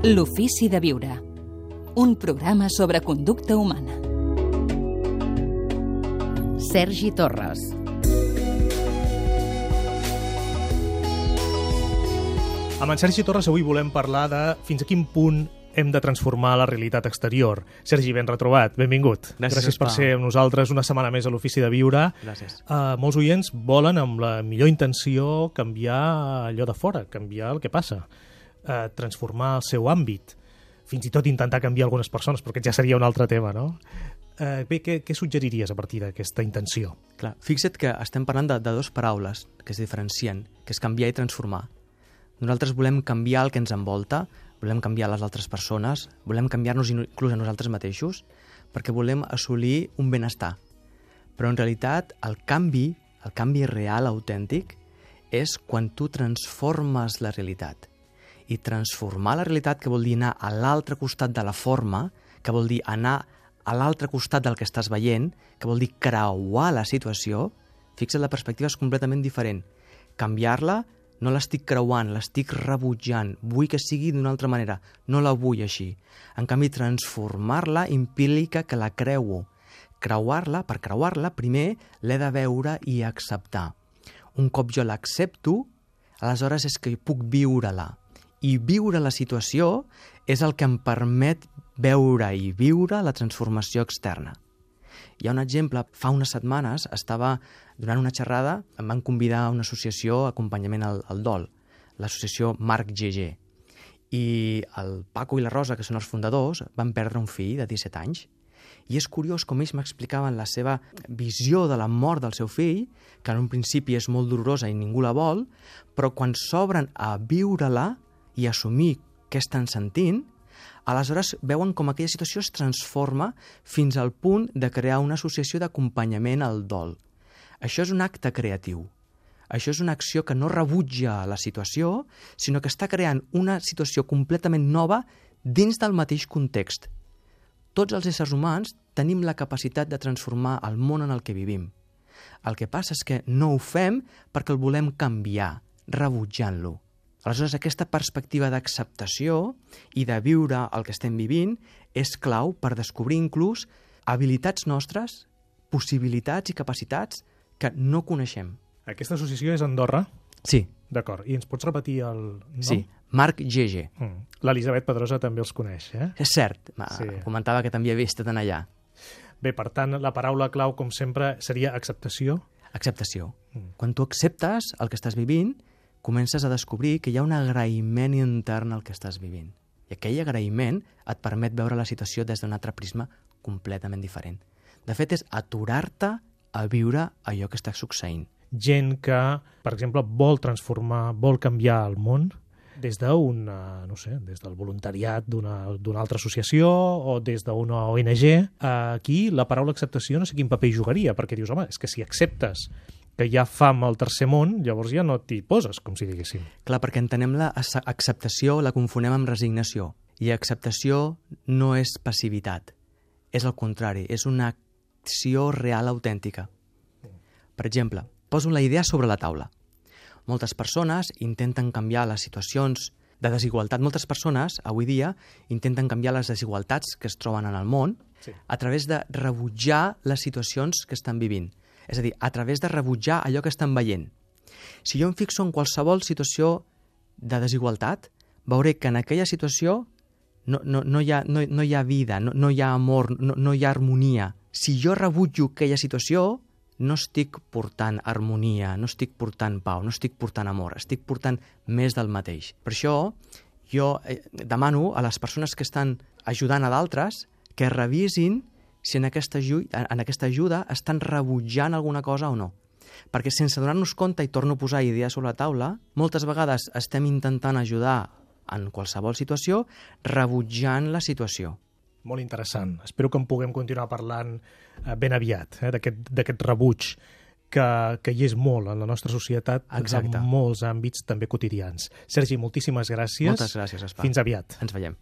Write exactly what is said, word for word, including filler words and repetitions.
L'ofici de viure. Un programa sobre conducta humana. Sergi Torres. Amb en Sergi Torres avui volem parlar de fins a quin punt hem de transformar la realitat exterior. Sergi, ben retrobat, benvingut. Gràcies, Gràcies per ser amb nosaltres una setmana més a l'Ofici de Viure. Gràcies. Uh, molts oients volen, amb la millor intenció, canviar allò de fora, canviar el que passa, uh, transformar el seu àmbit, fins i tot intentar canviar algunes persones, perquè ja seria un altre tema, no? Uh, bé, què, què suggeriries a partir d'aquesta intenció? Clar, fixa't que estem parlant de, de dues paraules que es diferencien, que és canviar i transformar. Nosaltres volem canviar el que ens envolta, volem canviar les altres persones, volem canviar-nos inclús a nosaltres mateixos, perquè volem assolir un benestar. Però en realitat el canvi, el canvi real, autèntic, és quan tu transformes la realitat. I transformar la realitat, que vol dir anar a l'altre costat de la forma, que vol dir anar a l'altre costat del que estàs veient, que vol dir creuar la situació, fixa't, la perspectiva és completament diferent. Canviar-la, no l'estic creuant, l'estic rebutjant, vull que sigui d'una altra manera, no la vull així. En canvi, transformar-la implica que la creuo. Creuar-la, per creuar-la, primer l'he de veure i acceptar. Un cop jo l'accepto, aleshores és que puc viure-la. I viure la situació és el que em permet veure i viure la transformació externa. Hi ha un exemple, fa unes setmanes estava donant una xerrada, em van convidar a una associació acompanyament al, al dol, l'associació Marc G G. I el Paco i la Rosa, que són els fundadors, van perdre un fill de disset anys. I és curiós com ells m'explicaven la seva visió de la mort del seu fill, que en un principi és molt dolorosa i ningú la vol, però quan s'obren a viure-la i assumir què estan sentint, aleshores veuen com aquella situació es transforma fins al punt de crear una associació d'acompanyament al dol. Això és un acte creatiu. Això és una acció que no rebutja la situació, sinó que està creant una situació completament nova dins del mateix context. Tots els éssers humans tenim la capacitat de transformar el món en el que vivim. El que passa és que no ho fem perquè el volem canviar, rebutjant-lo. Aleshores, aquesta perspectiva d'acceptació i de viure el que estem vivint és clau per descobrir inclús habilitats nostres, possibilitats i capacitats que no coneixem. Aquesta associació és a Andorra? Sí. D'acord. I ens pots repetir el nom? Sí, Marc G G. Mm. L'Elisabet Pedrosa també els coneix, eh? És cert, Sí. comentava que també havia estat allà. Bé, per tant, la paraula clau, com sempre, seria acceptació. Acceptació. Mm. Quan tu acceptes el que estàs vivint, comences a descobrir que hi ha un agraïment intern al que estàs vivint. I aquell agraïment et permet veure la situació des d'un altre prisma completament diferent. De fet, és aturar-te a viure allò que està succeint. Gent que, per exemple, vol transformar, vol canviar el món des d'un, no sé, des del voluntariat d'una d'una altra associació o des d'una O N G. Aquí la paraula acceptació no sé quin paper hi jugaria, perquè dius, home, és que si acceptes que hi ha fam al tercer món, llavors ja no t'hi poses, com si diguéssim. Clar, perquè entenem la acceptació, la confonem amb resignació. I acceptació no és passivitat. És el contrari, és una acció real autèntica. Per exemple, poso la idea sobre la taula. Moltes persones intenten canviar les situacions de desigualtat. Moltes persones, avui dia, intenten canviar les desigualtats que es troben en el món Sí. a través de rebutjar les situacions que estan vivint. És a dir, a través de rebutjar allò que estan veient. Si jo em fixo en qualsevol situació de desigualtat, veuré que en aquella situació no, no, no, hi, ha, no, no hi ha vida, no, no hi ha amor, no, no hi ha harmonia. Si jo rebutjo aquella situació, no estic portant harmonia, no estic portant pau, no estic portant amor, estic portant més del mateix. Per això jo demano a les persones que estan ajudant a d'altres que revisin si en aquesta, en aquesta ajuda estan rebutjant alguna cosa o no. Perquè sense donar-nos compte, i torno a posar idees sobre la taula, moltes vegades estem intentant ajudar en qualsevol situació rebutjant la situació. Molt interessant. Espero que en puguem continuar parlant eh, ben aviat, eh, d'aquest rebuig que, que hi és molt en la nostra societat. Exacte. En molts àmbits també quotidians. Sergi, moltíssimes gràcies. Moltes gràcies, Espà. Fins aviat. Ens veiem.